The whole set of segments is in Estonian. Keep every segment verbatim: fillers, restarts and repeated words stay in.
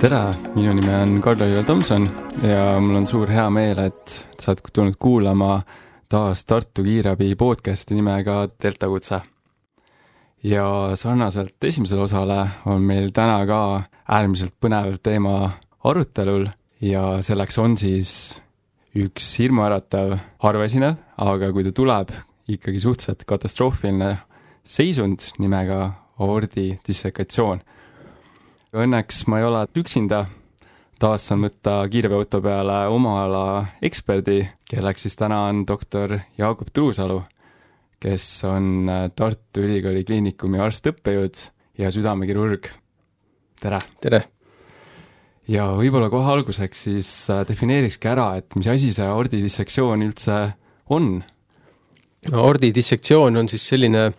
Tere, minu nime on Karl-Joel Tomson ja mul on suur hea meel, et sa oled tulnud kuulama taas Tartu Kiirabi podcasti nimega Delta Kutse. Ja sarnaselt esimesele osale on meil täna ka äärmiselt põnev teema arutelul ja selleks on siis üks hirmuäratav harvaesinev, aga kui ta tuleb, ikkagi suhteliselt katastroofiline seisund nimega aordi dissekatsioon. Õnneks ma ei ole üksinda, taas saan võtta kiirabiauto peale oma ala eksperdi, kelleks siis täna on doktor Jaagup Truusalu, kes on Tartu Ülikooli Kliinikumi arst-õppejõud ja südamekirurg. Tere! Tere! Ja võib-olla kohe alguseks siis defineerikski ära, et mis asi see aordidissektsioon üldse on? Aordidissektsioon on siis selline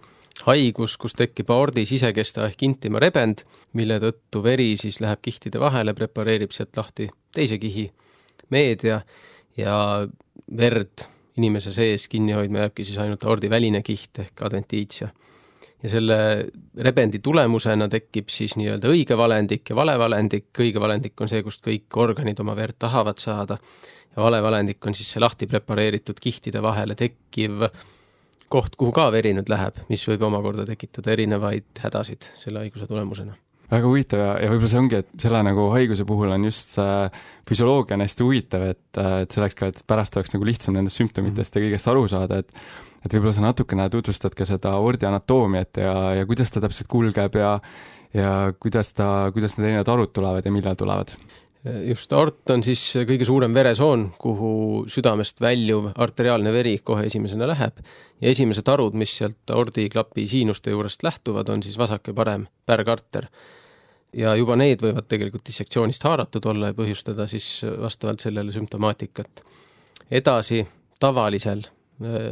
haigus, kus tekib aordi sisekesta ehk intima rebend, mille tõttu veri siis läheb kihtide vahele, prepareerib sealt lahti teise kihi meedia ja verd inimese sees kinni hoidma jääbki siis ainult aordi väline kiht ehk adventiitsia. Ja selle rebendi tulemusena tekib siis nii-öelda õige valendik ja vale valendik. Õige valendik on see, kust kõik organid oma verd tahavad saada ja vale valendik on siis see lahti prepareeritud kihtide vahele tekkiv koht, kuhu ka veri nüüd läheb, mis võib omakorda tekitada erinevaid hädasid selle haiguse tulemusena. Väga huvitav ja, ja võib-olla see ongi, et selle nagu haiguse puhul on just see füsioloogia on hästi huvitav, et, et selleks ka, et pärast oleks nagu lihtsam nendest sümptomitest ja kõigest aru saada, et, et võib-olla sa natukene tutvustad ka seda aordi anatoomiat ja, ja kuidas ta täpselt kulgeb ja, ja kuidas, ta, kuidas need erinevad arud tulevad ja millal tulevad. Just aort on siis kõige suurem veresoon, kuhu südamest väljuv arteriaalne veri kohe esimesena läheb ja esimesed arud, mis sealt aordiklapi siinuste juurest lähtuvad, on siis vasak ja parem pärgarter. Ja juba need võivad tegelikult dissektsioonist haaratud olla ja põhjustada siis vastavalt sellele sümptomaatikat. Edasi tavalisel äh,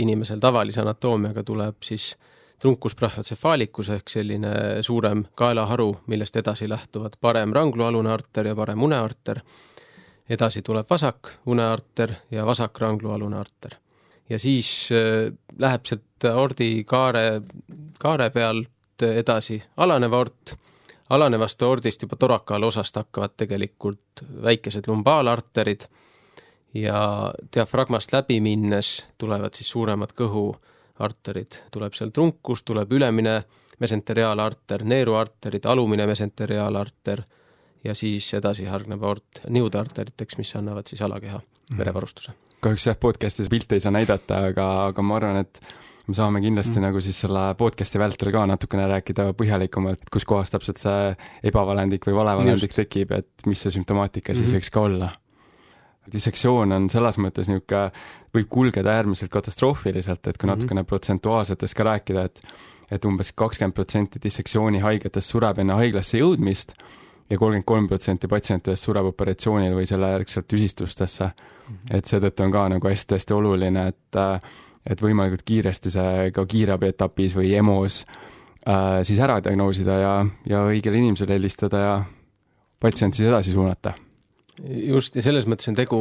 inimesel tavalise anatoomiaga tuleb siis trunkus brachiocefalicus ehk selline suurem kaelaharu, millest edasi lähtuvad parem ranglualune arter ja parem unearter. Edasi tuleb vasak unearter ja vasak ranglualune arter. Ja siis äh, läheb sealt aordi kaare, kaare pealt edasi alanev aort. Alanevast aordist juba torakaal osast hakkavad tegelikult väikesed lumbaalarterid ja diafragmast läbi minnes tulevad siis suuremad kõhu arterid. Tuleb seal trunkus, tuleb ülemine mesenteriaalarter, neeruarterid, alumine mesenteriaalarter ja siis edasi hargneb aort niudarteriteks, mis annavad siis alakeha verevarustuse. Kahjuks jah, podcastis pilte ei saa näidata, aga, aga ma arvan, et me saame kindlasti mm. nagu siis selle podcasti vältel ka natukene rääkida põhjalikumalt, kus kohas täpselt see ebavalendik või valevalendik tekib, et mis see sümptomaatika siis mm-hmm. võiks ka olla. Dissektsioon on selles mõttes niuke, võib kulgeda äärmiselt katastroofiliselt, et kui natukene protsentuaalsetest ka rääkida, et, et umbes kakskümmend protsenti dissektsiooni haigetest sureb enne haiglasse jõudmist ja kolmkümmend kolm protsenti patsientidest sureb operatsioonil või selle järgselt tüsistustesse. Mm-hmm. Et seetõttu on ka nagu hästi-hästi oluline, et, et võimalikult kiiresti see ka kiirabi etapis või EMOs äh, siis ära diagnoosida ja, ja õigele inimesele helistada ja patsient siis edasi suunata. Just, ja selles mõttes on tegu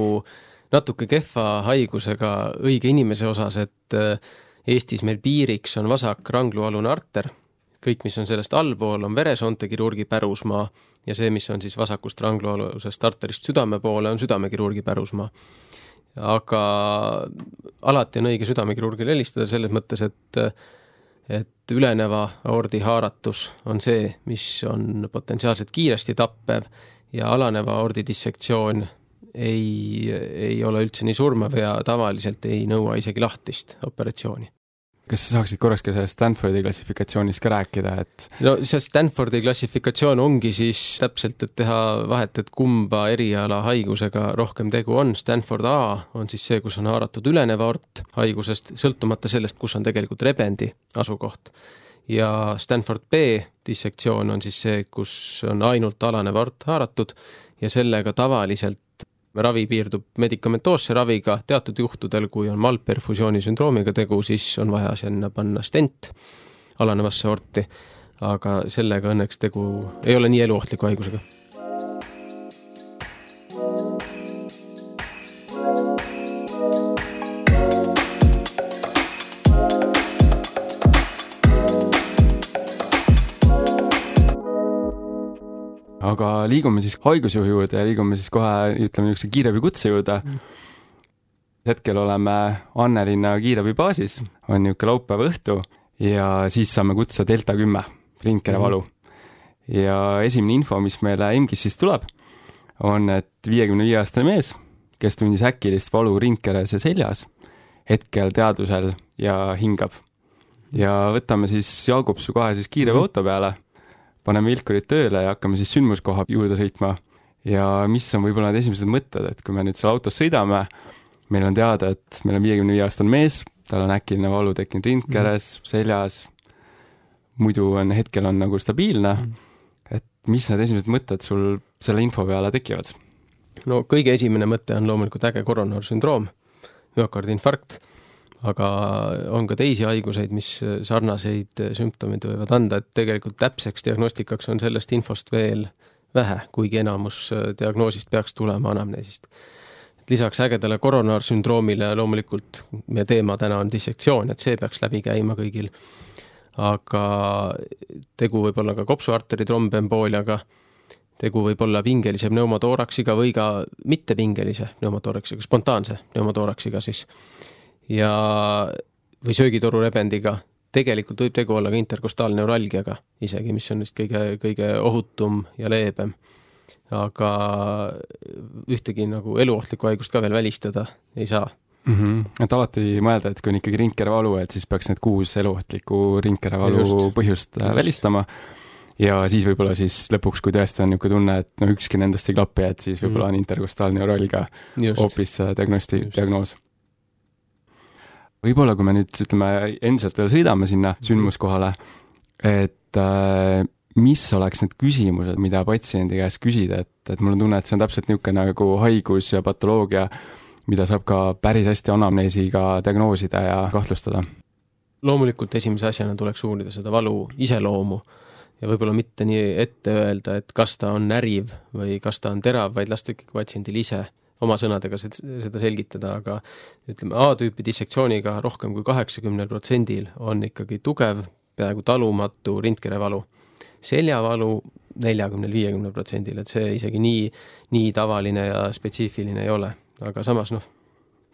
natuke kehva haigusega õige inimese osas, et Eestis meil piiriks on vasak ranglualune arter, kõik, mis on sellest allpool, on veresoonte kirurgi pärusmaa ja see, mis on siis vasakust ranglualusest arterist südame poole, on südamekirurgi pärusmaa. Aga alati on õige südamekirurgile helistada selles mõttes, et, et üleneva aordi haaratus on see, mis on potentsiaalselt kiiresti tappev ja alaneva aordi dissektsioon ei, ei ole üldse nii surmav ja tavaliselt ei nõua isegi lahtist operatsiooni. Kas sa saaksid korraks ka sellest Stanfordi klassifikatsioonist ka rääkida? Et... No see Stanfordi klassifikatsioon ongi siis täpselt, et teha vahet, et kumba eriala haigusega rohkem tegu on. Stanford A on siis see, kus on haaratud ülenev aort haigusest, sõltumata sellest, kus on tegelikult rebendi asukoht. Ja Stanford B dissektsioon on siis see, kus on ainult alanev aort haaratud ja sellega tavaliselt ravi piirdub medikamentoosse raviga. Teatud juhtudel, kui on malperfusiooni sündroomiga tegu, siis on vaja sinna panna stent alanevasse aorti, aga sellega õnneks tegu ei ole nii eluohtliku haigusega. aga aga liigume siis haigusjuhu juurde ja liigume siis kohe, ütleme, niisuguse kiirabikutse juurde. Hetkel oleme Annelinna kiirabi baasis, on niisugune laupäeva õhtu ja siis saame kutsa Delta kümme, rindkerevalu. Ja esimene info, mis meile E M G-s siis tuleb, on, et viiekümne viie aastane mees, kes tundis äkilist valu rindkeres ja seljas, hetkel teadvusel ja hingab. Ja võtame siis Jaagupsu kohe siis kiire mm-hmm. auto peale, paneme vilkurid tööle ja hakkame siis sündmuskoha juurde sõitma. Ja mis on võib-olla need esimesed mõtted, et kui me nüüd seal autos sõidame, meil on teada, et meil on viiekümne viie aastane mees, tal on äkiline valu tekkinud rindkeres, mm-hmm. seljas, muidu on hetkel on nagu stabiilne, mm-hmm. et mis need esimesed mõtted sul selle info peale tekivad? No kõige esimene mõte on loomulikult äge koronarsündroom, müokardinfarkt, aga on ka teisi haiguseid, mis sarnaseid sümptomid võivad anda, et tegelikult täpseks diagnostikaks on sellest infost veel vähe, kuigi enamus diagnoosist peaks tulema anamneesist. Et lisaks ägedale koronarsündroomile loomulikult meie teema täna on dissektsioon, et see peaks läbi käima kõigil, aga tegu võib olla ka kopsuarteri trombembooliaga, tegu võib olla pingelise pneumotooraksiga või ka mitte pingelise pneumotooraksiga, spontaanse pneumotooraksiga siis. Ja, või söögitoru rebendiga. Tegelikult võib tegu olla ka interkostaalneuralgiaga isegi, mis on kõige, kõige ohutum ja leebem. Aga ühtegi nagu eluohtlikku haigust ka veel välistada ei saa. Mm-hmm. Et alati mõelda, et kui on ikkagi rindkerevalu, et siis peaks need kuus eluohtlikku rindkerevalu just, põhjust just. välistama. Ja siis võib-olla siis lõpuks, kui tõesti on niisugune tunne, et no ükski nendest ei klapi, et siis võib-olla mm. on interkostaalneuralgia hoopis diagnosti, diagnoos. Võib-olla, kui me nüüd ütleme, endiselt veel sõidame sinna sündmuskohale, et äh, mis oleks need küsimused, mida patsiendi käest küsida, et, et mul on tunne, et see on täpselt niisugune nagu haigus ja patoloogia, mida saab ka päris hästi anamneesiga diagnoosida ja kahtlustada. Loomulikult esimese asjana tuleks uurida seda valu iseloomu ja võib-olla mitte nii ette öelda, et kas ta on näriv või kas ta on terav, vaid lasta ikkagi patsiendil ise oma sõnadega seda selgitada, aga ütleme, A-tüüpi dissektsiooniga rohkem kui kaheksakümmend protsendil on ikkagi tugev, peaaegu talumatu rindkerevalu. Seljavalu neljakümne viiekümne protsendil, et see isegi nii, nii tavaline ja spetsiifiline ei ole. Aga samas, noh,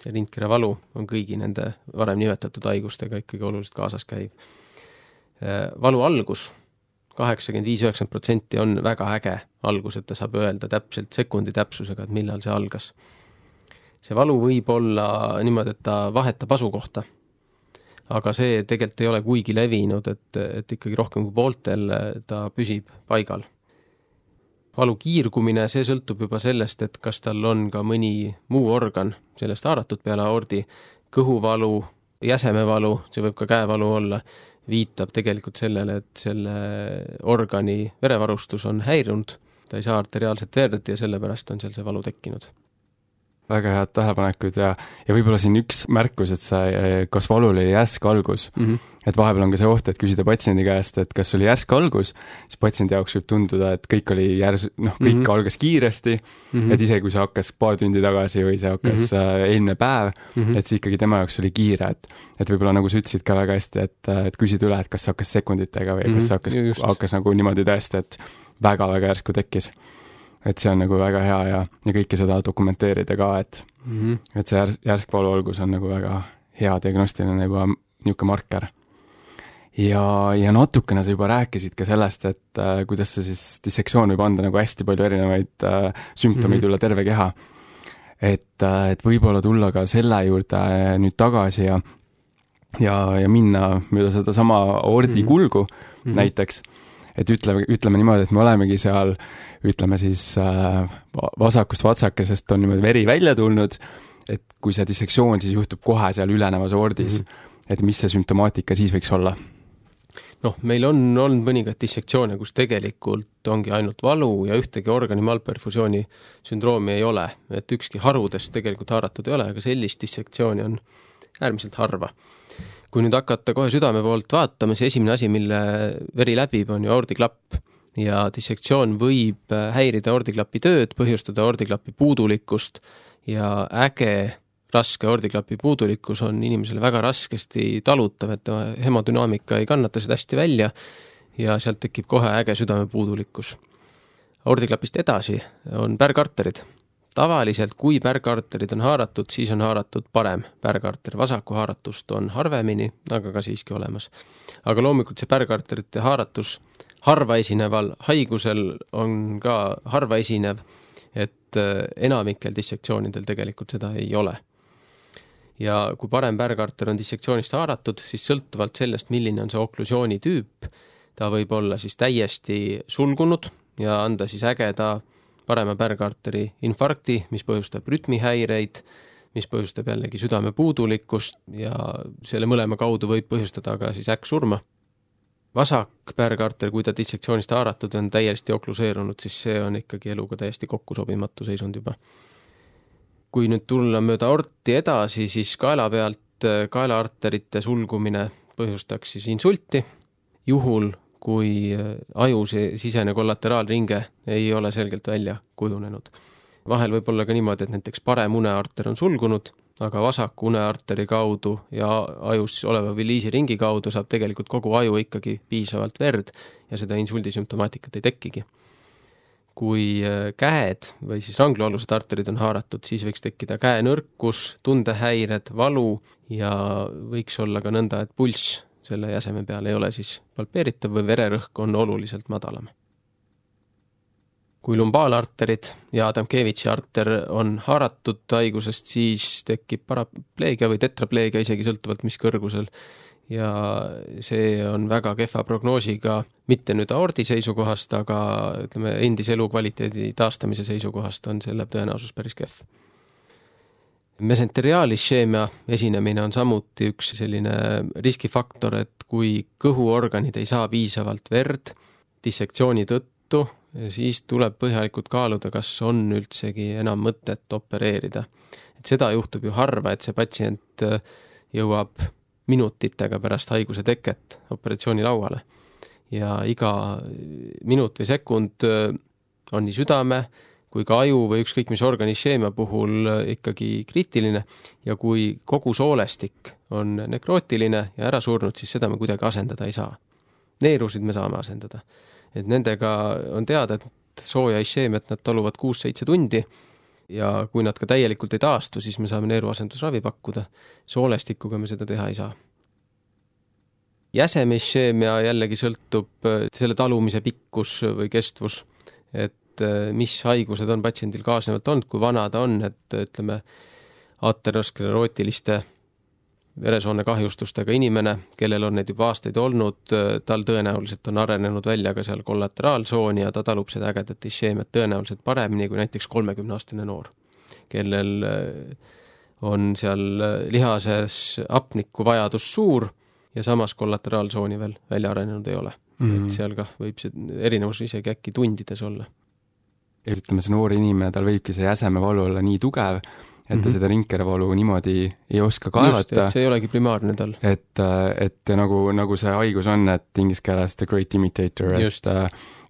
see rindkerevalu on kõigi nende varem nimetatud haigustega ikkagi oluliselt kaasas käiv. Valu algus kaheksakümmend viis üheksakümmend protsenti on väga äge algus, et ta saab öelda täpselt sekundi täpsusega, et millal see algas. See valu võib olla niimoodi, et ta vahetab asukohta, aga see tegelikult ei ole kuigi levinud, et, et ikkagi rohkem kui pooltel ta püsib paigal. Valu kiirgumine, see sõltub juba sellest, et kas tal on ka mõni muu organ sellest haaratud peale aordi, kõhuvalu, jäsemevalu, see võib ka käevalu olla, viitab tegelikult sellele, et selle organi verevarustus on häirunud, ta ei saa arteriaalset verd ja sellepärast on seal see valu tekkinud. Väga head tähelepanekud ja, ja võib-olla siin üks märkus, et see, kas valul oli järsk algus, mm-hmm. et vahepeal on ka see oht, et küsida patsiendi käest, et kas oli järsk algus, siis patsiendi jaoks võib tunduda, et kõik oli järs, noh, kõik mm-hmm. algas kiiresti, mm-hmm. et isegi kui see hakkas paar tundi tagasi või see hakkas mm-hmm. eelmine päev, mm-hmm. et see ikkagi tema jaoks oli kiire, et, et võib-olla nagu sa ütlesid ka väga hästi, et, et küsid üle, et kas see hakkas sekunditega või mm-hmm. kas see hakkas, hakkas nagu niimoodi tõesti, et väga-väga järsku tekkis. Et see on nagu väga hea ja, ja kõike seda dokumenteerida ka, et, mm-hmm. et see järs, järskvalu algus on nagu väga hea diagnostiline juba niisugune marker. Ja, ja natukene sa juba rääkisid ka sellest, et äh, kuidas see siis dissektsioon võib anda nagu hästi palju erinevaid äh, sümptomeid mm-hmm. üle terve keha. Et, äh, et võib-olla tulla ka selle juurde nüüd tagasi ja, ja, ja minna mööda seda sama aordi mm-hmm. kulgu mm-hmm. näiteks. Et ütleme, ütleme niimoodi, et me olemegi seal, ütleme siis äh, vasakust vatsakesest on niimoodi veri välja tulnud, et kui see dissektsioon siis juhtub kohe seal ülenevas aordis, mm-hmm. et mis see sümptomaatika siis võiks olla? Noh, meil on olnud mõningat dissektsioone, kus tegelikult ongi ainult valu ja ühtegi organi malperfusiooni sündroomi ei ole, et ükski harudest tegelikult haaratud ei ole, aga sellist dissektsiooni on äärmiselt harva. Kui nüüd hakata kohe südame poolt vaatama, siis esimene asi, mille veri läbib, on ju aordiklapp ja dissektsioon võib häirida aordiklapi tööd, põhjustada aordiklapi puudulikkust ja äge raske aordiklapi puudulikkus on inimesele väga raskesti talutav, et hemodünaamika ei kannata seda hästi välja ja sealt tekib kohe äge südame puudulikkus. aordiklapist edasi on pärgarterid. Tavaliselt, kui pärgarterid on haaratud, siis on haaratud parem pärgarter. Vasaku haaratust on harvemini, aga ka siiski olemas. Aga loomulikult see pärgarterite haaratus harva esineval haigusel on ka harva esinev, et enamikel dissektsioonidel tegelikult seda ei ole. Ja kui parem pärgarter on dissektsioonist haaratud, siis sõltuvalt sellest, milline on see oklusiooni tüüp, ta võib olla siis täiesti sulgunud ja anda siis ägeda parema pärgarteri infarkti, mis põhjustab rütmihäireid, mis põhjustab jällegi südame puudulikkust ja selle mõlema kaudu võib põhjustada ka siis äkksurma. Vasak pärgarter, kui ta dissektsioonist haaratud on täiesti okluseerunud, siis see on ikkagi eluga täiesti kokku sobimatu seisund juba. Kui nüüd tulla mööda aorti edasi, siis kaela pealt kaelaarterite sulgumine põhjustaks siis insulti, juhul kui aju sisene kollateraalringe ei ole selgelt välja kujunenud. Vahel võib olla ka niimoodi, et näiteks parem unearter on sulgunud, aga vasak unearteri kaudu ja ajus oleva viliisiringi kaudu saab tegelikult kogu aju ikkagi piisavalt verd ja seda insuldisümptomaatikat ei tekkigi. Kui käed või siis ranglualused arterid on haaratud, siis võiks tekkida käenõrkus, tundehäired, valu ja võiks olla ka nõnda, et pulss selle jäseme peal ei ole siis palpeeritav või vererõhk on oluliselt madalam. Kui lumbaalarterid ja Adamkevitši arter on haaratud haigusest, siis tekib parapleegia või tetrapleegia isegi sõltuvalt mis kõrgusel ja see on väga kehva prognoosiga mitte nüüd aordi seisukohast, aga ütleme, endise elukvaliteedi taastamise seisukohast on selle tõenäosus päris kehv. Mesenteriaalisheemia esinemine on samuti üks selline riskifaktor, et kui kõhuorganid ei saa piisavalt verd dissektsiooni tõttu, siis tuleb põhjalikult kaaluda, kas on üldsegi enam mõtet opereerida. Et seda juhtub ju harva, et see patsient jõuab minutitega pärast haiguse teket operatsiooni lauale. Ja iga minut või sekund on nii südame, kui ka aju või ükskõik mis organisheemia puhul ikkagi kriitiline ja kui kogu soolestik on nekrootiline ja ära surnud, siis seda me kuidagi asendada ei saa. Neerusid me saame asendada. Et nendega on teada, et sooja isheemiat nad taluvad kuus-seitse tundi ja kui nad ka täielikult ei taastu, siis me saame neeruasendusravi pakkuda. Soolestikuga me seda teha ei saa. Jäsemisheemia jällegi sõltub selle talumise pikkus või kestvus, et mis haigused on patsiendil kaasnevalt olnud, kui vana ta on, et ütleme aterosklerootiliste veresoone kahjustustega inimene, kellel on need juba aastaid olnud, tal tõenäoliselt on arenenud välja ka seal kollateraalsooni ja ta talub seda ägedat isheemiat tõenäoliselt paremini kui näiteks kolmekümne-aastane noor, kellel on seal lihases hapniku vajadus suur ja samas kollateraalsooni veel välja arenenud ei ole. Mm-hmm. Et seal ka võib see erinevus isegi äkki tundides olla. Ja ütleme, see noor inimene, tal võibki see jäsemevalu olla nii tugev, et ta mm-hmm. seda rinkerevalu niimoodi ei oska kaelata. Just, et see ei olegi primaarne tal. Et, et nagu, nagu see haigus on, et inglise keeles the great imitator, et,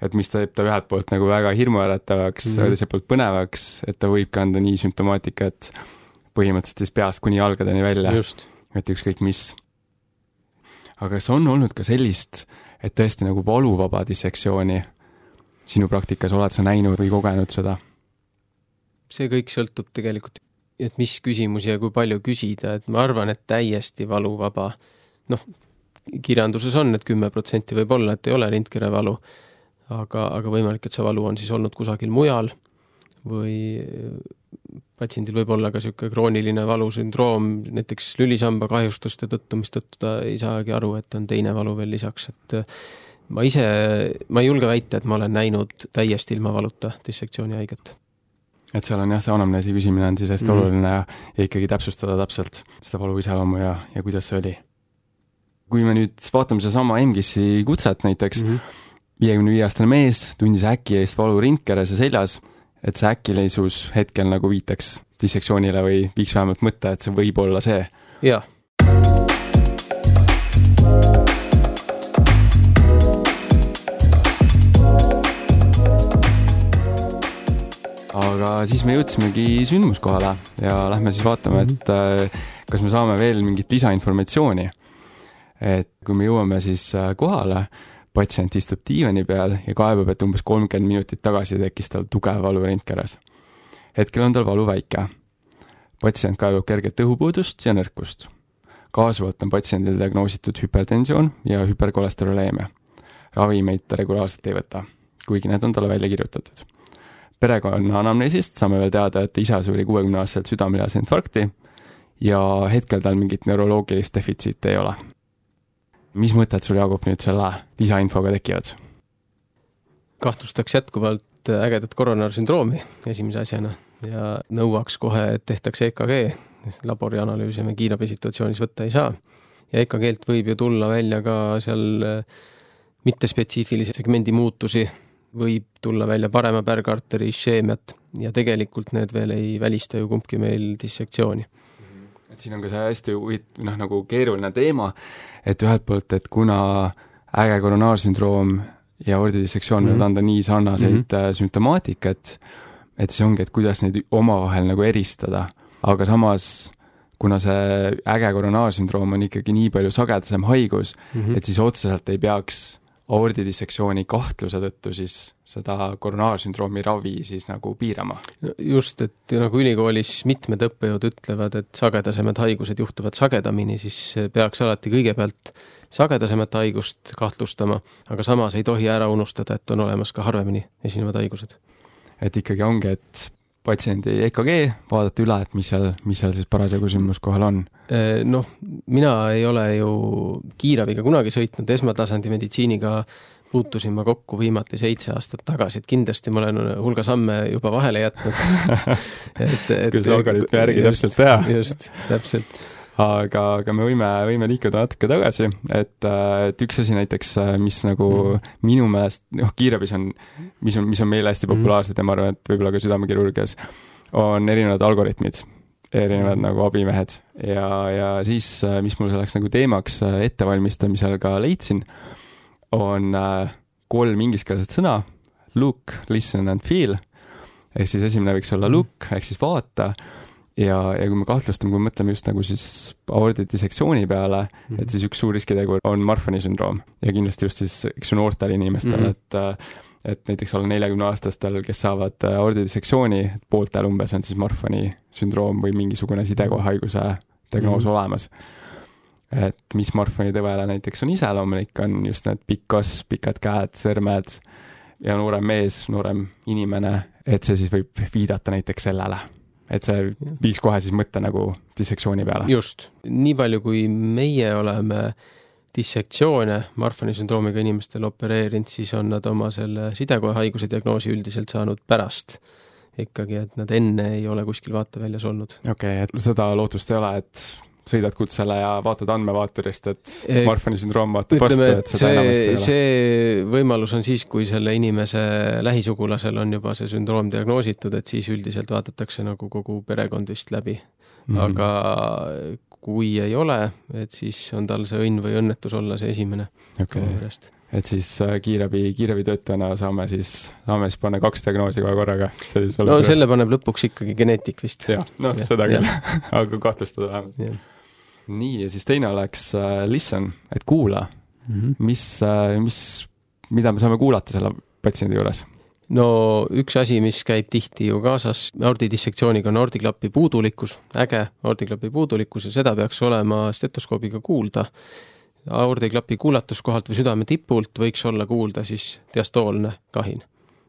et mis ta teeb ta ühelt poolt nagu väga hirmuäratavaks, mm-hmm. teiselt poolt põnevaks, et ta võib kanda nii sümptomaatika, et põhimõtteliselt siis peast kuni jalgadeni välja, Just. et ükskõik mis. Aga kas on olnud ka sellist, et tõesti nagu valuvaba dissektsiooni sinu praktikas oled sa näinud või kogenud seda? See kõik sõltub tegelikult, et mis küsimusi ja kui palju küsida, et ma arvan, et täiesti valuvaba. Noh, kirjanduses on, et kümme protsenti võib olla, et ei ole rintkerevalu, aga, aga võimalik, et see valu on siis olnud kusagil mujal või patsiendil võib olla ka selline krooniline valusündroom, näiteks lülisamba kahjustuste tõttu, mis tõttu ta ei saagi aru, et on teine valu veel lisaks, et ma ise, ma ei julge väita, et ma olen näinud täiesti ilma valuta dissektsiooni haiget. Et seal on jah, see anamneesi küsimine on siis hästi mm. oluline ja, ja ikkagi täpsustada täpselt seda valu iseloomu ja, ja kuidas see oli. Kui me nüüd vaatame seda sama M G I S-i kutset näiteks, mm-hmm. viiekümne viie aastane mees tundis äkki eest valu rintkeres ja seljas, et see äkkileisus hetkel nagu viitaks dissektsioonile või viiks vähemalt mõtte, et see võib olla see. Jah. Aga siis me jõudsimegi sündmuskohale ja lähme siis vaatame, et kas me saame veel mingit lisainformatsiooni. Et kui me jõuame siis kohale, patsient istub diivani peal ja kaebab, et umbes kolmkümmend minutit tagasi tekkis tal tugev valu rentkeras. Hetkel on tal valu väike. Patsient kaebab kerget õhupuudust ja nõrkust. Kaasuvalt on patsiendil diagnoositud hüpertensioon ja hüperkolesteroleemia. Ravimeid ta regulaarselt ei võta, kuigi need on talle välja kirjutatud. Perekonna anamneesist saame veel teada, et isa suri kuuekümne aastaselt südamelihase infarkti ja hetkel tal mingit neuroloogilist defitsiiti ei ole. Mis mõtted sul, Jaagup, nüüd selle lisainfoga tekivad? Kahtlustaks jätkuvalt ägedat koronaarsündroomi esimese asjana ja nõuaks kohe, et tehtaks E K G, sest labori analüüsi me kiirabisituatsioonis võtta ei saa. Ja E K G-lt võib ju tulla välja ka seal mittespetsiifilise segmendi muutusi, võib tulla välja parema pärgarteri isheemiat ja tegelikult need veel ei välista ju kumbki meil dissektsiooni. Et siin on ka see hästi noh, nagu keeruline teema, et ühelt poolt, et kuna äge koronaarsündroom ja aordidissektsioon mm -hmm. võivad anda nii sarnaseid mm -hmm. sümptomaatikat, et see ongi, et kuidas neid omavahel nagu eristada, aga samas kuna see äge koronaarsündroom on ikkagi nii palju sagedasem haigus, mm -hmm. et siis otseselt ei peaks aordidissektsiooni kahtluse tõttu siis seda koronaarsündroomi ravi siis nagu piirama. Just, et nagu ülikoolis mitmed õppejõud ütlevad, et sagedasemad haigused juhtuvad sagedamini, siis peaks alati kõigepealt sagedasemat haigust kahtlustama, aga samas ei tohi ära unustada, et on olemas ka harvemini esinevad haigused. Et ikkagi ongi, et patsiendi E K G vaadata üle, et mis seal, mis seal siis parasjagu sündmus kohal on? Noh, mina ei ole ju kiirabiga kunagi sõitnud, esmatasandi meditsiiniga puutusin ma kokku viimati seitse aastat tagasi, et kindlasti ma olen hulga samme juba vahele jätnud. et, et, kui see algoritmi järgi täpselt teha. Just, täpselt. Aga, aga me võime, võime liikuda natuke tagasi, et, et üks asi näiteks, mis nagu mm. minu meelest, noh, kiirabis on, mis on, mis on meile hästi populaarsed ja ma arvan, et võib-olla ka südamekirurgias, on erinevad algoritmid, erinevad mm. nagu abimehed ja, ja siis, mis mul selleks nagu teemaks ettevalmistamisel ka leidsin, on kolm ingliskeelset sõna, look, listen and feel, ehk siis esimene võiks olla look, ehk siis vaata, ja, ja kui me kahtlustame, kui me mõtleme just nagu siis aordidissektsiooni peale, mm-hmm. et siis üks suur riskitegur on Marfani sündroom ja kindlasti just siis, eks ju noortel inimestel, mm-hmm. et, et näiteks alla neljakümne aastastel, kes saavad aordidissektsiooni, pooltel umbes on siis Marfani sündroom või mingisugune sidekohaiguse diagnoos mm-hmm. olemas. Et mis Marfani tõvele näiteks on iseloomulik, on just need pikk kasv, pikad käed, sõrmed ja noorem mees, noorem inimene, et see siis võib viidata näiteks sellele. Et see viiks kohe siis mõtte nagu dissektsiooni peale. Just. Nii palju, kui meie oleme dissektsioone Marfani sündroomiga inimestel opereerinud, siis on nad oma selle sidekoha haiguse diagnoosi üldiselt saanud pärast. Ikkagi, et nad enne ei ole kuskil vaateväljas olnud. Okei, okay, et seda lootust ei ole, et sõidad kutsele ja vaatad andmevaaturist, et Marfani sündroom vaatab vastu, et seda enamasti ei ole. See võimalus on siis, kui selle inimese lähisugulasel on juba see sündroom diagnoositud, et siis üldiselt vaadatakse nagu kogu perekond vist läbi. Mm-hmm. Aga kui ei ole, et siis on tal see õnn või õnnetus olla see esimene. Okay. Et siis kiirabi, kiirabi töötajana saame siis, saame siis panna kaks diagnoosi kohe korraga. No selle üles. Paneb lõpuks ikkagi geneetik vist. Ja, no ja, seda küll, aga kahtlustada vähemalt. Ja. Nii, ja siis teine oleks uh, listen, et kuula, mm-hmm. mis, uh, mis, mida me saame kuulata selle patsiendi juures? No üks asi, mis käib tihti ju kaasas aordidissektsiooniga on aordiklapi puudulikkus, äge aordiklapi puudulikkus ja seda peaks olema stetoskoobiga kuulda. Aordiklapi kuulatuskohalt või südame tipult võiks olla kuulda siis diastoolne kahin.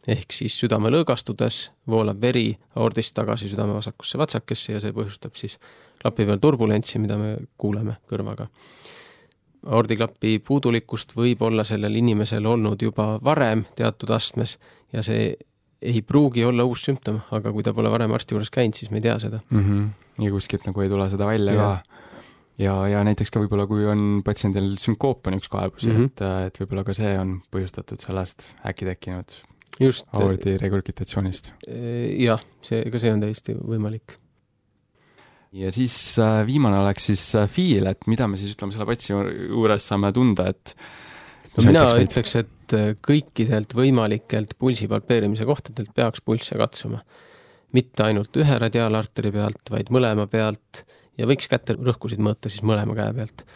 Ehk siis südame lõõgastudes voolab veri aordist tagasi südame vasakusse vatsakesse ja see põhjustab siis klapi peal turbulentsi, mida me kuuleme kõrvaga. Aordiklapi puudulikkust võib olla sellel inimesel olnud juba varem teatud astmes ja see ei pruugi olla uus sümptom, aga kui ta pole varem arsti juures käinud, siis me ei tea seda. Mm-hmm. Ja kuskilt nagu ei tule seda välja ja. ka. Ja, ja näiteks ka võib-olla, kui on patsiendil sünkoop on üks kaebusi, mm-hmm. et, et võib-olla ka see on põhjustatud sellest äkki tekkinud Just, aordi regurgitatsioonist. Jah, see, ka see on täiesti võimalik. Ja siis viimane oleks siis feel, et mida me siis ütleme selle patsi juures saame tunda, et no mina ütleks, et kõikidelt võimalikelt pulsi palpeerimise kohtadelt peaks pulsse katsuma. Mitte ainult ühe radiaalarteri pealt, vaid mõlema pealt ja võiks kätte rõhkusid mõõta siis mõlema käe pealt.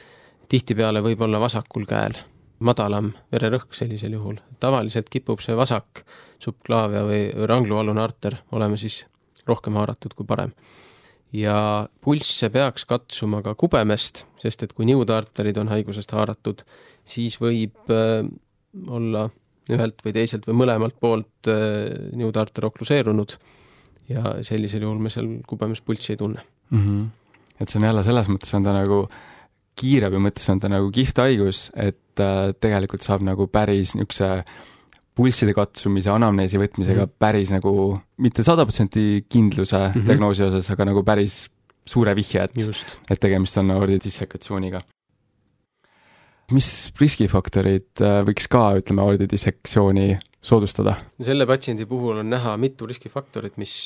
Tihtipeale võib olla vasakul käel madalam vererõhk sellisel juhul. Tavaliselt kipub see vasak subklaavia või ranglualune arter olema siis rohkem haaratud kui parem. Ja pulsse peaks katsuma ka kubemest, sest et kui niudaarterid on haigusest haaratud, siis võib äh, olla ühelt või teiselt või mõlemalt poolt äh, niudaarter okluseerunud ja sellisel juhul me seal kubemes pulssi ei tunne. Mm-hmm. Et see on jälle selles mõttes on ta nagu kiirabi mõttes on ta nagu kihvt haigus, et äh, tegelikult saab nagu päris niisuguse pulsside katsumise, anamneesi võtmisega mm-hmm. päris nagu mitte sada protsenti kindluse mm-hmm. diagnoosi osas, aga nagu päris suure vihje, et, et tegemist on aordi dissekatsiooniga. Mis riskifaktorid võiks ka, ütleme, aordi dissektsiooni soodustada? Selle patsiendi puhul on näha mitu riskifaktorit, mis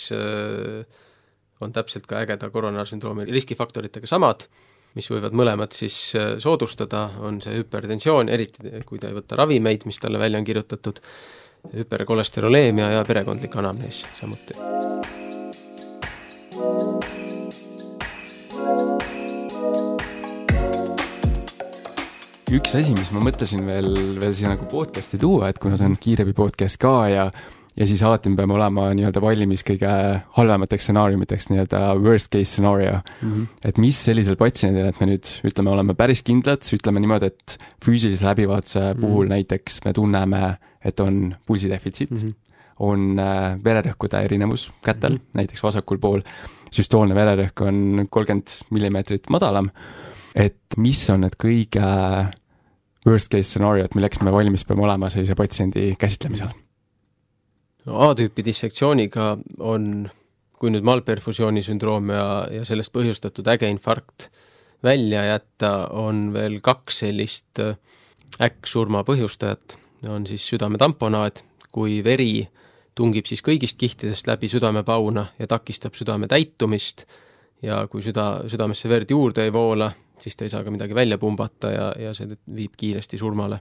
on täpselt ka ägeda koronaarsündroomi riskifaktoritega samad, mis võivad mõlemad siis soodustada, on see hüpertensioon, eriti kui ta ei võtta ravimeid, mis talle välja on kirjutatud, hüperkolesteroleemia ja perekondlik anamnees samuti. Üks asi, mis ma mõtlesin veel, veel siia nagu podcasti tuua, et kuna see on kiirabi podcast ka ja ja siis alati me peame olema nii-öelda valmis kõige halvemateks stsenaariumiteks, nii-öelda worst case scenario. Mm-hmm. Et mis sellisel patsiendil, et me nüüd ütleme, oleme päris kindlad, ütleme niimoodi, et füüsilise läbivaatuse mm-hmm. puhul näiteks me tunneme, et on pulsidefitsiit, mm-hmm. on äh, vererõhkude erinevus kätel, mm-hmm. näiteks vasakul pool, süstoolne vererõhk on kolmkümmend millimeetrit madalam, et mis on need kõige worst case scenario, et milleks me valmis peame olema sellise patsiendi käsitlemisel? A-tüüpi dissektsiooniga on, kui nüüd malperfusiooni sündroom ja, ja sellest põhjustatud äge infarkt välja jätta, on veel kaks sellist äkksurma põhjustajat. On siis südametamponaad, kui veri tungib siis kõigist kihtidest läbi südamepauna ja takistab südame täitumist ja kui süda, südamesse verd juurde ei voola, siis ta ei saa ka midagi välja pumbata ja, ja see viib kiiresti surmale.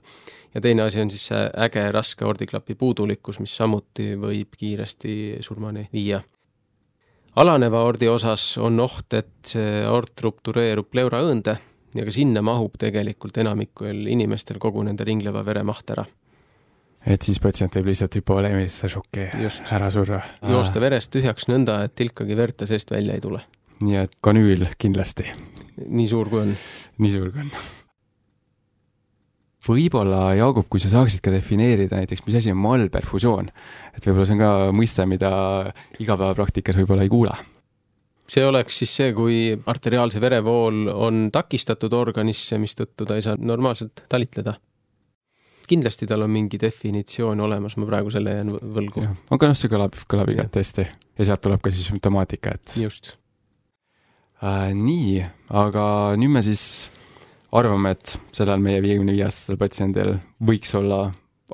Ja teine asi on siis see äge raske aordiklapi puudulikkus, mis samuti võib kiiresti surmani viia. Alaneva aordi osas on oht, et see aort ruptureerub pleuraõõnde ja ka sinna mahub tegelikult enamikul inimestel kogu nende ringleva vere maht ära. Et siis patsient võib lihtsalt hüpovoleemilisse šokki ära surra. Joosta verest tühjaks nõnda, et tilkagi verd ta seest välja ei tule. Nii et kanüül kindlasti. Nii suur kui on. Nii suur kui on. Võib-olla, Jaagup, kui sa saaksid ka defineerida näiteks, mis asi on malperfusioon, et võib-olla see on ka mõiste, mida igapäevapraktikas võib-olla ei kuule. See oleks siis see, kui arteriaalse verevool on takistatud organisse, mis tõttu ta ei saa normaalselt talitleda. Kindlasti tal on mingi definitsioon olemas, ma praegu selle jään võlgu. Ja, aga noh, see kõlab, kõlab igat tõesti. Ja sealt tuleb ka siis sümptomaatika, et... Just. Äh, nii, aga nüüd me siis arvame, et sellel meie viiekümne viie aastasel patsiendil võiks olla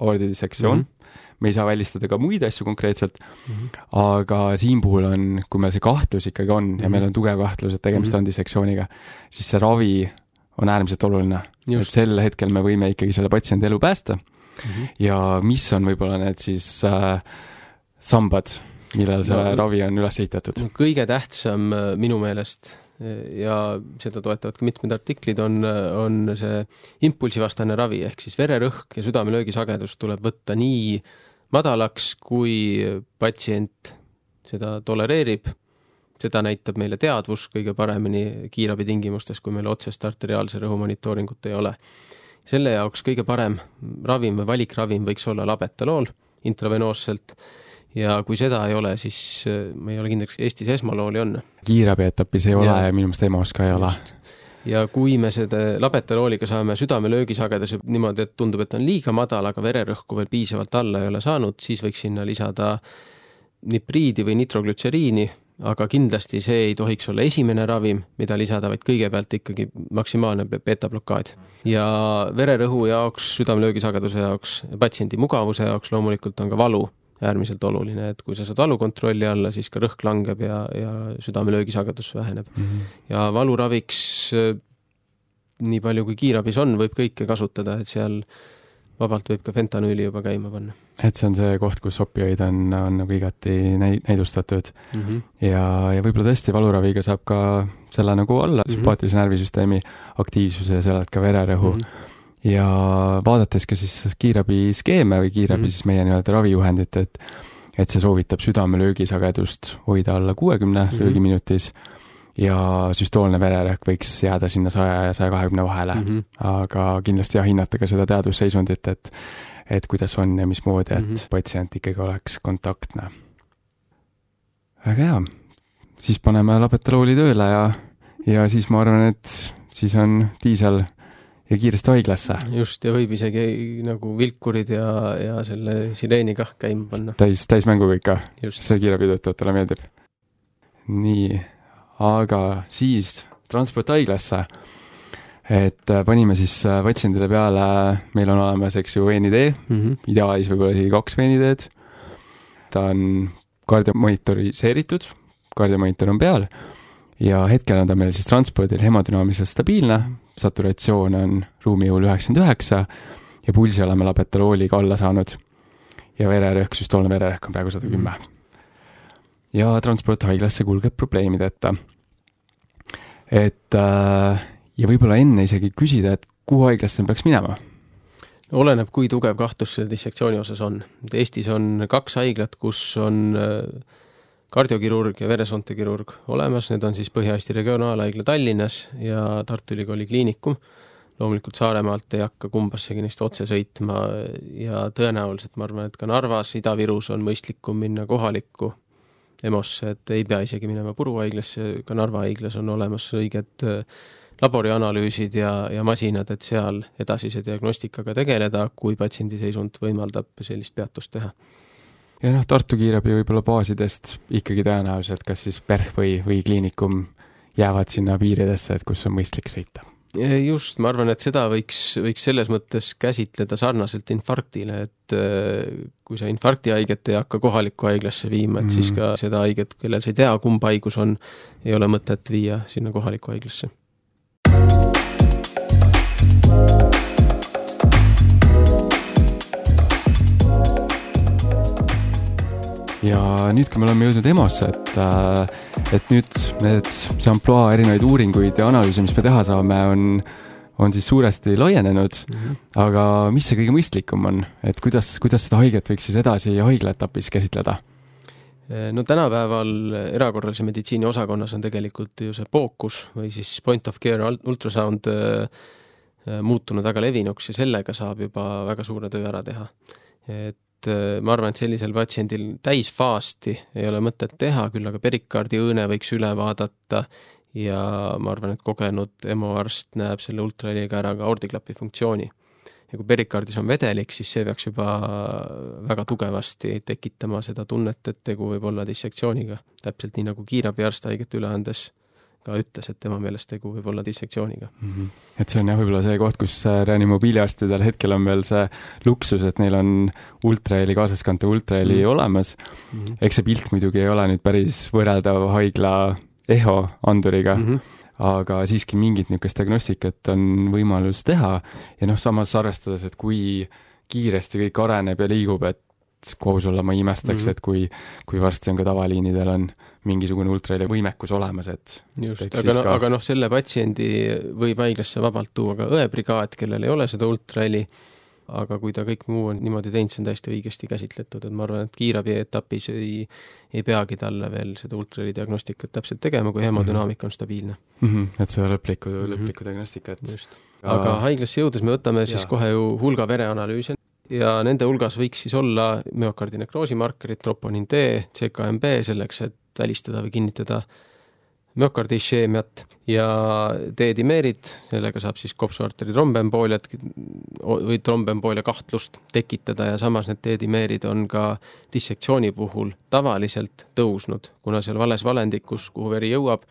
aordidissektsioon. Mm-hmm. Me ei saa välistada ka muid asju konkreetselt, mm-hmm. aga siin puhul on, kui meil see kahtlus ikkagi on mm-hmm. ja meil on tugev kahtlus, et tegemist mm-hmm. on dissektsiooniga, siis see ravi on äärmiselt oluline. Just. Et sel hetkel me võime ikkagi selle patsiendi elu päästa mm-hmm. ja mis on võib-olla need siis äh, sambad, millal see no, ravi on üles ehitatud? No, kõige tähtsam minu meelest ja seda toetavad ka mitmed artiklid on, on see impulsivastane ravi, ehk siis vererõhk ja südamelöögisagedus tuleb võtta nii madalaks, kui patsient seda tolereerib. Seda näitab meile teadvus kõige paremini kiirabi tingimustes, kui meil otsest arteriaalse rõhu monitooringut ei ole. Selle jaoks kõige parem ravim või valikravim võiks olla labetalool intravenoosselt. Ja kui seda ei ole, siis me ei ole kindlaks, Eestis esmalooli on. Kiirabi etapis ei ole ja, ja minu meelest EMOs ka ei ole. Ja kui me seda labetalooliga saame südamelöögisageduse niimoodi, et tundub, et on liiga madal, aga vererõhku veel piisavalt alla ei ole saanud, siis võiks sinna lisada nipriidi või nitroglütseriini, aga kindlasti see ei tohiks olla esimene ravim, mida lisada, vaid kõigepealt ikkagi maksimaalne beta-blokaad. Ja vererõhu jaoks, südamelöögisageduse jaoks, patsiendi mugavuse jaoks loomulikult on ka valu äärmiselt oluline, et kui sa saad valu kontrolli alla, siis ka rõhk langeb ja, ja südamelöögisagedus väheneb. Mm-hmm. Ja valuraviks nii palju kui kiirabis on, võib kõike kasutada, et seal vabalt võib ka fentanüüli juba käima panna. Et see on see koht, kus opioid on, on nagu igati näidustatud mm-hmm. ja, ja võib-olla tõesti valuraviga saab ka selle nagu alla mm-hmm. sümpaatilise närvisüsteemi aktiivsuse ja sellelt ka vererõhu mm-hmm. ja vaadates ka siis kiirabi skeeme või kiirabi Mhm. siis meie nii-öelda ravijuhendit, et et see soovitab südame löögisagedust hoida alla kuuekümne Mhm. löögiminutis ja süstoolne vererõhk võiks jääda sinna saja ja saja kahekümne vahele. Mhm. Aga kindlasti jah, hinnata ka seda teadusseisundit, et et kuidas on ja mismoodi, et Mhm. patsient ikkagi oleks kontaktne. Väga hea. Siis paneme labetaloli tööle ja, ja siis ma arvan, et siis on diisel ja kiiresti haiglasse. Just, ja võib isegi nagu vilkurid ja, ja selle sireeni kah käima panna. Täis, täismängu kõik ka. Just. See kiirabitöötajatele meeldib. Nii, aga siis transport haiglasse. Et panime siis patsiendile peale, meil on olemas, eks ju, veenidee, Mhm. ideaalis võib-olla isegi kaks veenideed. Ta on kardiomonitoriseeritud, kardiomonitor on peal ja hetkel on ta meil siis transpordil hemodünaamiliselt stabiilne, saturatsioon on ruumijõul üheksakümmend üheksa ja pulsi oleme labetalooliga alla saanud ja vererõhk, süstoolne vererõhk on praegu sada kümme. Ja transport haiglasse kulgeb probleemideta. Et äh, ja võib-olla enne isegi küsida, et kuhu haiglasse peaks minema? Oleneb, kui tugev kahtlus selle dissektsiooni osas on. Eestis on kaks haiglat, kus on kardiokirurg ja veresoontekirurg olemas. Need on siis Põhja-Eesti regionaalhaigla Tallinnas ja Tartu Ülikooli kliinikum. Loomulikult Saaremaalt ei hakka kumbassegi neist otse sõitma ja tõenäoliselt ma arvan, et ka Narvas, Ida-Virus on mõistlikum minna kohalikku EMOsse, et ei pea isegi minema Puruhaiglasse, ka Narva haiglas on olemas õiged laborianalüüsid ja, ja masinad, et seal edasise diagnostikaga tegeleda, kui patsiendi seisund võimaldab sellist peatust teha. Ja noh, Tartu kiirabi võib-olla baasidest ikkagi tõenäoliselt, kas siis PERH või, või kliinikum jäävad sinna piiridesse, et kus on mõistlik sõita. Just, ma arvan, et seda võiks, võiks selles mõttes käsitleda sarnaselt infarktile, et kui sa infarkti haiget ei hakka kohalikku haiglasse viima, et mm. siis ka seda haiget, kellel sa ei tea, kumb haigus on, ei ole mõtet viia sinna kohalikku haiglasse. Ja nüüd, kui me oleme jõudnud EMOsse, et, et nüüd need see amploa erinevaid uuringuid ja analüüse, mis me teha saame, on, on siis suuresti laienenud, mm-hmm. aga mis see kõige mõistlikum on? Et kuidas, kuidas seda haiget võiks siis edasi haiglaetapis käsitleda? No tänapäeval erakorralise meditsiini osakonnas on tegelikult ju see fookus või siis point of care ultrasound muutunud väga levinuks ja sellega saab juba väga suure töö ära teha. Et ma arvan, et sellisel patsiendil täisfaasti ei ole mõtet teha, küll aga perikardi õõne võiks üle vaadata ja ma arvan, et kogenud EMO-arst näeb selle ultraheliga ära ka aordiklapi funktsiooni. Ja kui perikardis on vedelik, siis see peaks juba väga tugevasti tekitama seda tunnet, et tegu võib olla dissektsiooniga. Täpselt nii nagu kiirabiarst haiget üle andes ka ütles, et tema meelest tegu võib olla dissektsiooniga. Mm-hmm. Et see on jah võib-olla see koht, kus reanimobiiliarstidel hetkel on veel see luksus, et neil on ultraheli, kaasaskante ultraheli mm-hmm. olemas. Mm-hmm. Eks see pilt muidugi ei ole nüüd päris võrreldav haigla eho anduriga, mm-hmm. aga siiski mingit niisugust diagnostikat on võimalus teha ja noh, samas arvestades, et kui kiiresti kõik areneb ja liigub, et kohus olla ma imestaks, mm-hmm. et kui, kui varsti on ka tavaliinidel on mingisugune ultraheli võimekus olemas, et just, aga, no, ka... aga noh, selle patsiendi võib haiglasse vabalt tuua ka õebrigaad, kellel ei ole seda ultraheli, aga kui ta kõik muu on niimoodi teinud, see on täiesti õigesti käsitletud, et ma arvan, et kiirabi etapis ei, ei peagi talle veel seda ultraheli diagnostikat täpselt tegema, kui hemodünaamika on stabiilne. Mm-hmm. Et see lõpliku, mm-hmm. lõpliku diagnostikat. Just. Aga haiglasse jõudes me võtame siis ja. kohe ju hulga vereanalüüse ja nende hulgas võiks siis olla müokardinekrosi markerid, troponin D, C K M B selleks, et välistada või kinnitada müokardisheemiat ja D-dimeerid, sellega saab siis kopsuarteri trombembooliat või trombemboolia kahtlust tekitada ja samas need D-dimeerid on ka dissektsiooni puhul tavaliselt tõusnud, kuna seal vales valendikus, kuhu veri jõuab,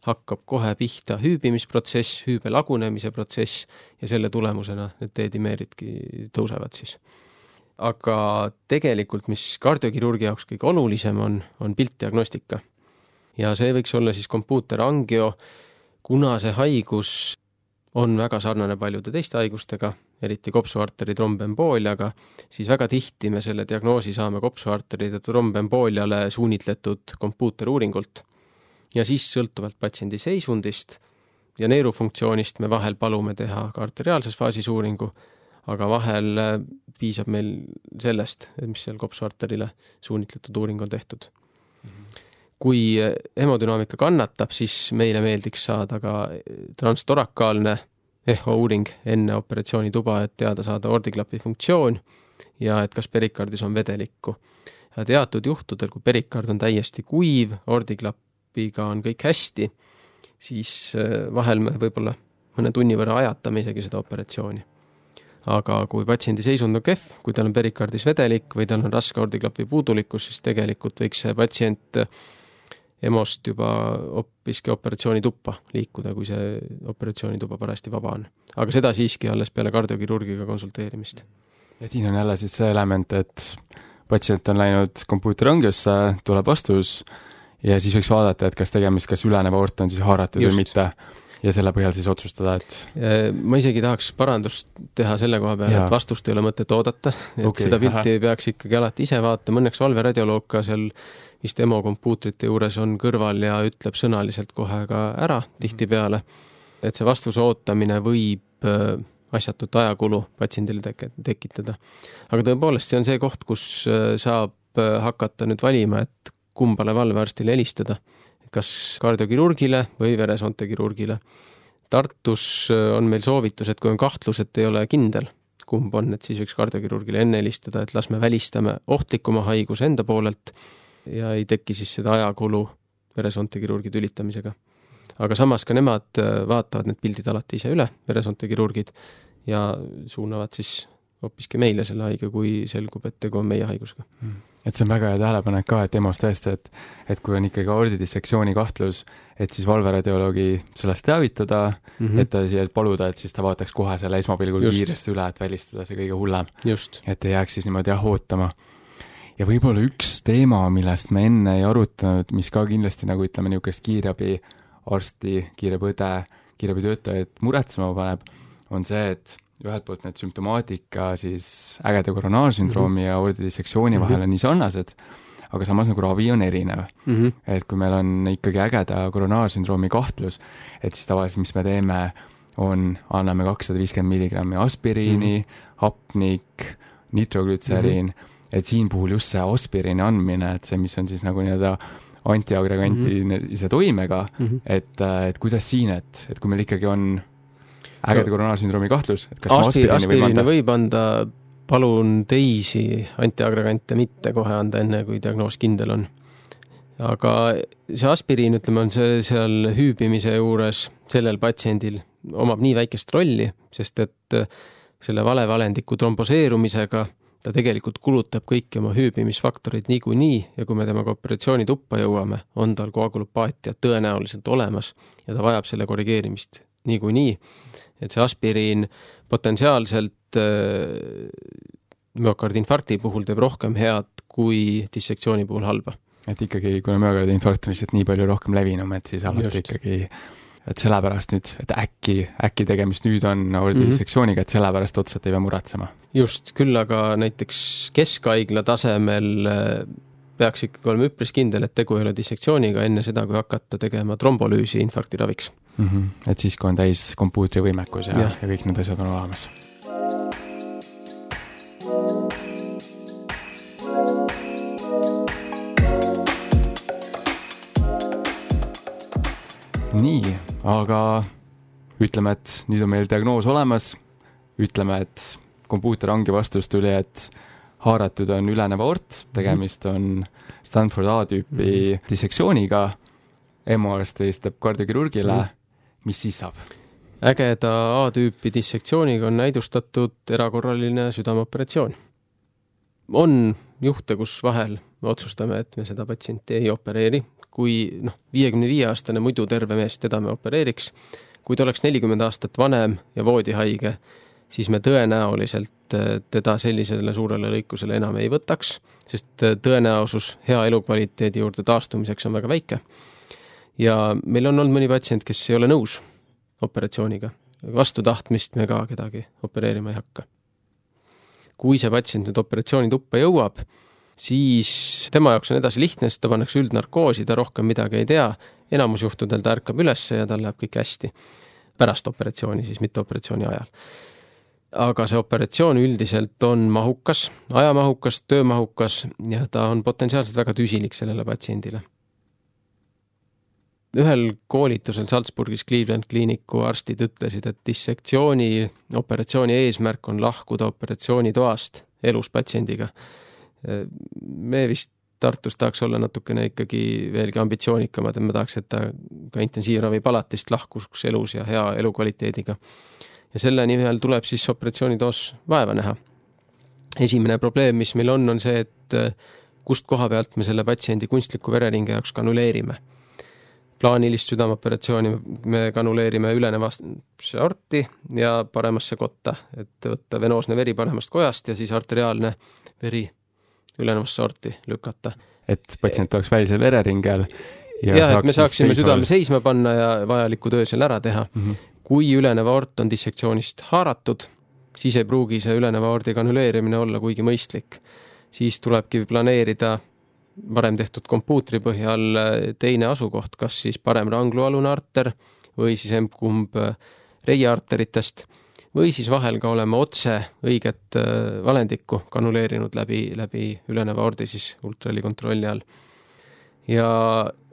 hakkab kohe pihta hüübimisprotsess, hüübe lagunemise protsess ja selle tulemusena need D-dimeeridki tõusevad siis. Aga tegelikult, mis kardiokirurgi jaoks kõige olulisem on, on piltdiagnostika. Ja see võiks olla siis kompuuterangio, kuna see haigus on väga sarnane paljude teiste haigustega, eriti kopsuarteri trombembooliaga, siis väga tihti me selle diagnoosi saame kopsuarteride trombembooliale suunitletud kompuuteruuringult. Ja siis sõltuvalt patsiendi seisundist ja neerufunktsioonist me vahel palume teha ka arteriaalses faasis uuringu, aga vahel piisab meil sellest, mis seal kopsuarterile suunitletud uuring on tehtud. Mm-hmm. Kui hemodünaamika kannatab, siis meile meeldiks saada ka transtorakaalne eho uuring enne operatsioonituba, et teada saada ordiklapi funktsioon ja et kas perikardis on vedelikku. Ja teatud juhtudel, kui perikard on täiesti kuiv, ordiklapiga on kõik hästi, siis vahel me võib-olla mõne tunni võrra ajatame isegi seda operatsiooni. Aga kui patsiendi seisund on kehv, kui tal on perikardis vedelik või tal on raske ordiklapi puudulikkus, siis tegelikult võiks see patsient emost juba hoopiski operatsioonituppa liikuda, kui see operatsioonituba parajasti vaba on. Aga seda siiski alles peale kardiokirurgiga konsulteerimist. Ja siin on jälle siis see element, et patsient on läinud kompuuterangiosse, tuleb vastus ja siis võiks vaadata, et kas tegemist, kas üleneva aort on siis haaratud Just. Või mitte. Ja selle põhjal siis otsustada, et... Ma isegi tahaks parandust teha selle koha peale, ja. Et vastust ei ole mõtet oodata, et okay, seda pilti aha. ei peaks ikkagi alati ise vaatama. Õnneks valveradioloog ka seal vist emokompuutrite juures on kõrval ja ütleb sõnaliselt kohe ka ära tihtipeale, et see vastuse ootamine võib asjatut ajakulu patsiendile tek- tekitada. Aga tõepoolest, see on see koht, kus saab hakata nüüd valima, et kumbale valvearstile helistada. Kas kardiokirurgile või veresoontekirurgile. Tartus on meil soovitus, et kui on kahtlus, et ei ole kindel, kumb on, et siis võiks kardiokirurgile enne helistada, et las me välistame ohtlikuma haiguse enda poolelt ja ei teki siis seda ajakulu veresoontekirurgi tülitamisega. Aga samas ka nemad vaatavad need pildid alati ise üle, veresoontekirurgid, ja suunavad siis hoopiski meile selle haige, kui selgub, et tegu on meie haigusega. Et see on väga hea tähelepanek ka, et EMO-s tõesti, et, et kui on ikkagi ordidissektsiooni kahtlus, et siis valveradioloogi sellest teavitada, mm -hmm. et ta siia paluda, et siis ta vaataks kohe selle esmapilgul Just. Kiiresti üle, et välistada see kõige hullem. Just. Et ei jääks siis niimoodi jah ootama. Ja võib-olla üks teema, millest me enne ei arutanud, mis ka kindlasti nagu ütleme niisugust kiirabi arsti, kiirabõde, kiirabitöötajad muretsema paneb, on see, et ühelt poolt need sümptomaatika siis ägeda koronaarsündroomi mm -hmm. ja ordidissektsiooni mm -hmm. vahel on nii sarnased, aga samas nagu ravi on erinev. Mm -hmm. Et kui meil on ikkagi ägeda koronaarsündroomi kahtlus, et siis tavaliselt, mis me teeme, on, anname kakssada viiskümmend milligrammi aspiriini, mm -hmm. hapnik, nitroglütseriin, mm -hmm. et siin puhul just see aspiriini andmine, et see, mis on siis nagu nii-öelda antiagreganti mm -hmm. ise toimega, mm -hmm. et, et kuidas siin, et, et kui meil ikkagi on ägeda koronaarsündroomi kahtlus, et kas Aspir, aspiriini võib anda, palun teisi antiagregante mitte kohe anda enne, kui diagnoos kindel on. Aga see aspiriin, ütleme, on see seal hüübimise juures sellel patsiendil omab nii väikest rolli, sest et selle valevalendiku tromboseerumisega ta tegelikult kulutab kõiki oma hüübimisfaktoreid niikuinii ja kui me temaga operatsioonituppa jõuame, on tal koagulopaatia tõenäoliselt olemas ja ta vajab selle korrigeerimist niikuinii. Et see aspiriin potentsiaalselt äh, müokardinfarkti puhul teeb rohkem head kui dissektsiooni puhul halba. Et ikkagi, kui müokardinfarkt on lihtsalt nii palju rohkem levinum, et siis alati Just. Ikkagi, et sellepärast nüüd, et äkki, äkki tegemist nüüd on ordidissektsiooniga, mm -hmm. et sellepärast otseselt ei pea muretsema. Just, küll aga näiteks keskhaigla tasemel peaks ikkagi olema üpris kindel, et tegu ei ole dissektsiooniga enne seda, kui hakata tegema trombolüüsi infarkti raviks. Mm -hmm. Et siis, kui on täis kompuutri võimekus ja, ja. ja kõik need asjad on olemas. Nii, aga ütleme, et nüüd on meil diagnoos olemas, ütleme, et kompuuterangi vastus tuli, et haaratud on ülenev aort, tegemist on Stanford A-tüüpi mm-hmm. dissektsiooniga, EMO-arst helistab kardiokirurgile, mm-hmm. mis siis saab? Ägeda A-tüüpi dissektsiooniga on näidustatud erakorraline südameoperatsioon. On juhte, kus vahel me otsustame, et me seda patsienti ei opereeri, kui noh, viiekümne viie aastane muidu terve mees, teda me opereeriks. Kui ta oleks nelikümmend aastat vanem ja voodihaige, siis me tõenäoliselt teda sellisele suurele lõikusele enam ei võtaks, sest tõenäosus hea elukvaliteedi juurde taastumiseks on väga väike. Ja meil on olnud mõni patsient, kes ei ole nõus operatsiooniga. Vastu tahtmist me ka kedagi opereerima ei hakka. Kui see patsient nüüd operatsioonituppa jõuab, siis tema jaoks on edasi lihtne, sest ta pannakse üldnarkoosi, ta rohkem midagi ei tea. Enamus juhtudel ta ärkab üles ja tal läheb kõik hästi. pärast operatsiooni, siis mitte operatsiooni ajal. Aga see operatsioon üldiselt on mahukas, ajamahukas, töömahukas ja ta on potentsiaalselt väga tüsilik sellele patsiendile. Ühel koolitusel Salzburgis Cleveland Clinicu arstid ütlesid, et dissektsiooni operatsiooni eesmärk on lahkuda operatsioonitoast elus patsiendiga. Me vist Tartus tahaks olla natukene ikkagi veelgi ambitsioonikamad, et me tahaks, et ta ka intensiivravipalatist lahkuks elus ja hea elukvaliteediga. Ja selle nimel tuleb siis operatsioonitoos vaeva näha. Esimene probleem, mis meil on, on see, et kust koha pealt me selle patsiendi kunstliku vereringe jaoks kanuleerime. Plaanilist südamoperatsiooni me kanuleerime ülenevasse orti ja paremasse kotta, et võtta venoosne veri paremast kojast ja siis arteriaalne veri ülenevasse orti lükata. Et patsient oleks välisel vereringel ja, ja et me saaksime südame seisma panna ja vajaliku töö seal ära teha. Mm-hmm. Kui üleneva ort on dissektsioonist haaratud, siis ei pruugi see üleneva ordi kanuleerimine olla kuigi mõistlik. Siis tulebki planeerida varem tehtud kompuutri põhjal teine asukoht, kas siis parem ranglualune arter või siis emkumb reiearteritest või siis vahel ka oleme otse õiget valendikku kanuleerinud läbi, läbi üleneva ordi siis ultraheli kontrolli all. Ja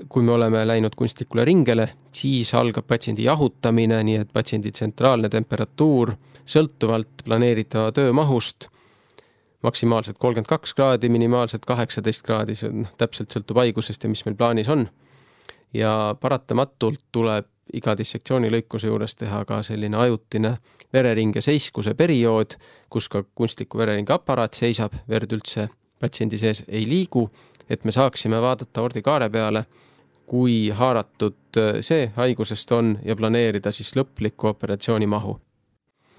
kui me oleme läinud kunstlikule ringele, siis algab patsiendi jahutamine, nii et patsiendi tsentraalne temperatuur sõltuvalt planeeritava töömahust maksimaalselt kolmkümmend kaks kraadi, minimaalselt kaheksateist kraadi, see on, täpselt sõltub haigusest ja mis meil plaanis on. Ja paratamatult tuleb iga dissektsiooni lõikuse juures teha ka selline ajutine vereringe seiskuse periood, kus ka kunstliku vereringe aparaat seisab, verd üldse patsiendi sees ei liigu, et me saaksime vaadata ordikaare peale, kui haaratud see haigusest on ja planeerida siis lõpliku operatsiooni mahu.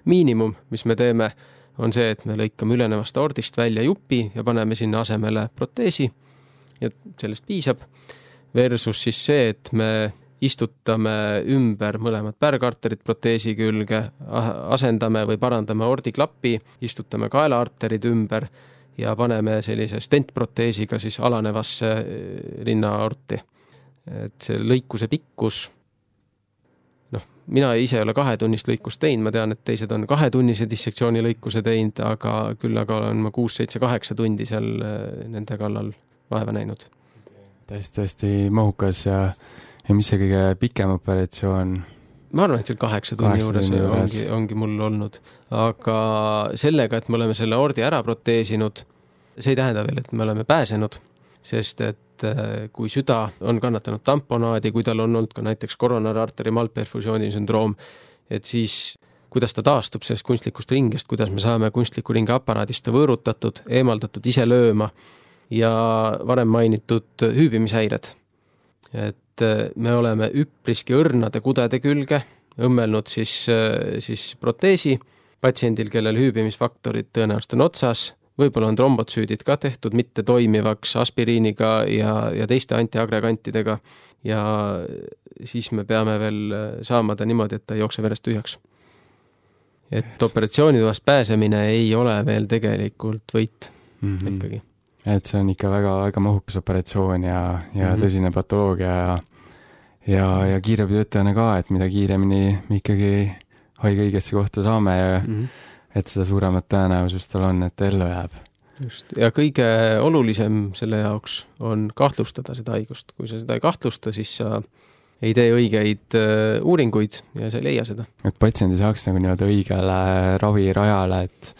Miinimum, mis me teeme, on see, et me lõikame ülenevast ordist välja jupi ja paneme sinna asemele proteesi ja sellest piisab. Versus siis see, et me istutame ümber mõlemad pärgarterid proteesi külge, asendame või parandame ordiklappi, istutame kaelaarterid ümber ja paneme sellise stentproteesiga siis alanevasse rinnaorti. Et see lõikuse pikkus, noh, mina ise ei ole kahetunnist lõikust teinud, ma tean, et teised on kahetunnise dissektsiooni lõikuse teinud, aga küll aga olen ma kuus, seitse, kaheksa tundi seal nende kallal vaeva näinud. Täiesti, täiesti mahukas ja, ja mis see kõige pikem operatsioon? Ma arvan, et seal kaheksa tunni juures, juures. Ongi, ongi mul olnud. Aga sellega, et me oleme selle ordi ära proteesinud, see ei tähenda veel, et me oleme pääsenud, sest et kui süda on kannatanud tamponaadi, kui tal on olnud ka näiteks koronararteri malperfusiooni sündroom, et siis kuidas ta taastub sellest kunstlikust ringest, kuidas me saame kunstliku ringe aparaadist võõrutatud, eemaldatud ise lööma ja varem mainitud hüübimishäired. Et me oleme üpriski õrnade kudede külge õmmelnud siis, siis proteesi patsiendil, kellel hüübimisfaktorid tõenäoliselt on otsas, võib-olla on trombotsüüdid ka tehtud mitte toimivaks aspiriiniga ja, ja teiste antiagregantidega ja siis me peame veel saama ta niimoodi, et ta ei jookse verest tühjaks. Et operatsioonitoast pääsemine ei ole veel tegelikult võit mm-hmm. ikkagi. Et see on ikka väga, väga mahukas operatsioon ja, ja mm-hmm. tõsine patoloogia ja, ja, ja kiirabitöötajana ka, et mida kiiremini me ikkagi haige õigesti kohta saame ja mm-hmm. et seda suuremat tõenäosust tal on, et ellu jääb. Just. Ja kõige olulisem selle jaoks on kahtlustada seda haigust. Kui sa seda ei kahtlusta, siis sa ei tee õigeid uuringuid ja sa ei leia seda. Et patsiendi saaks nagu nii-öelda õigele ravirajale, et,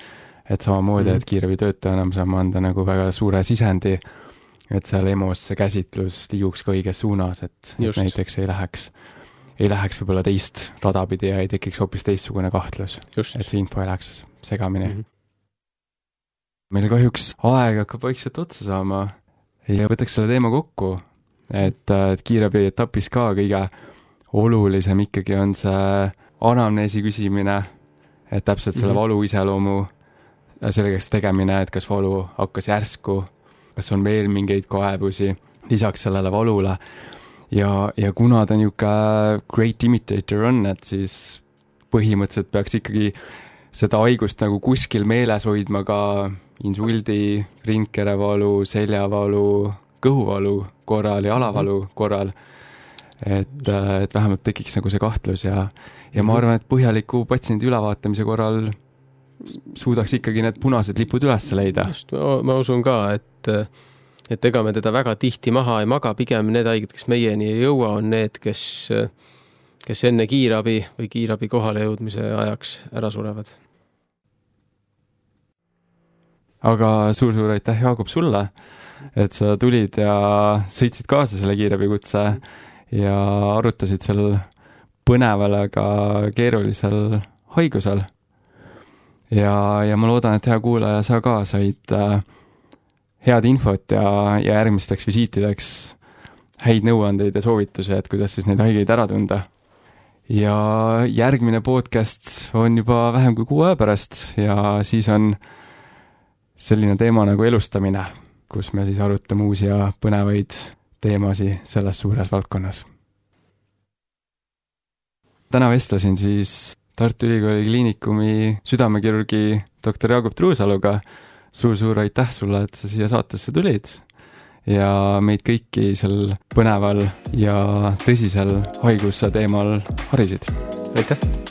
et samamoodi, mm-hmm. et kiirabitöötajana me saame anda nagu väga suure sisendi, et seal EMOS see käsitlus liiguks ka õiges suunas, et, et näiteks ei läheks ei läheks võib-olla teist radapidi ja ei tekiks hoopis teistsugune kahtlus. Just. Et see info ei läheks segamini. Mm-hmm. Meil kahjuks aeg hakkab vaikselt otsa saama ja võtaks selle teema kokku, et, et kiirabi etapis ka kõige olulisem ikkagi on see anamneesi küsimine, et täpselt selle mm-hmm. valu iseloomu sellegaks tegemine, et kas valu hakkas järsku, kas on veel mingeid kaebusi lisaks sellele valule. Ja, ja kuna ta niisugune great imitator on, et siis põhimõtteliselt peaks ikkagi seda haigust nagu kuskil meeles hoidma ka insuldi, rindkerevalu, seljavalu, kõhuvalu korral ja alavalu korral. et, et vähemalt tekiks nagu see kahtlus ja, ja ma arvan, et põhjaliku patsiendi ülevaatamise korral suudaks ikkagi need punased lipud üles leida. Just, ma, ma usun ka, et, et ega me teda väga tihti maha ei maga, pigem need haiged, kes meieni ei jõua, on need, kes, kes enne kiirabi või kiirabi kohale jõudmise ajaks ära surevad. Aga suur-suur aitäh, Jaagup, sulle, et sa tulid ja sõitsid kaasa selle kiirabikutse ja arutasid seal põneval, aga keerulisel haigusel. Ja, ja ma loodan, et hea kuulaja sa ka said äh, head infot ja, ja järgmisteks visiitideks häid nõuandeid ja soovitusi, et kuidas siis neid haigeid ära tunda. Ja järgmine podcast on juba vähem kui kuu aja pärast ja siis on selline teema nagu elustamine, kus me siis arutame uusi ja põnevaid teemasi selles suures valdkonnas. Täna vestlesin siis Tartu Ülikooli kliinikumi südamekirurgi doktor Jaagup Truusaluga. Suur-suur aitäh sulle, et sa siia saatesse tulid ja meid kõiki sel põneval ja tõsisel haiguse teemal harisid. Aitäh!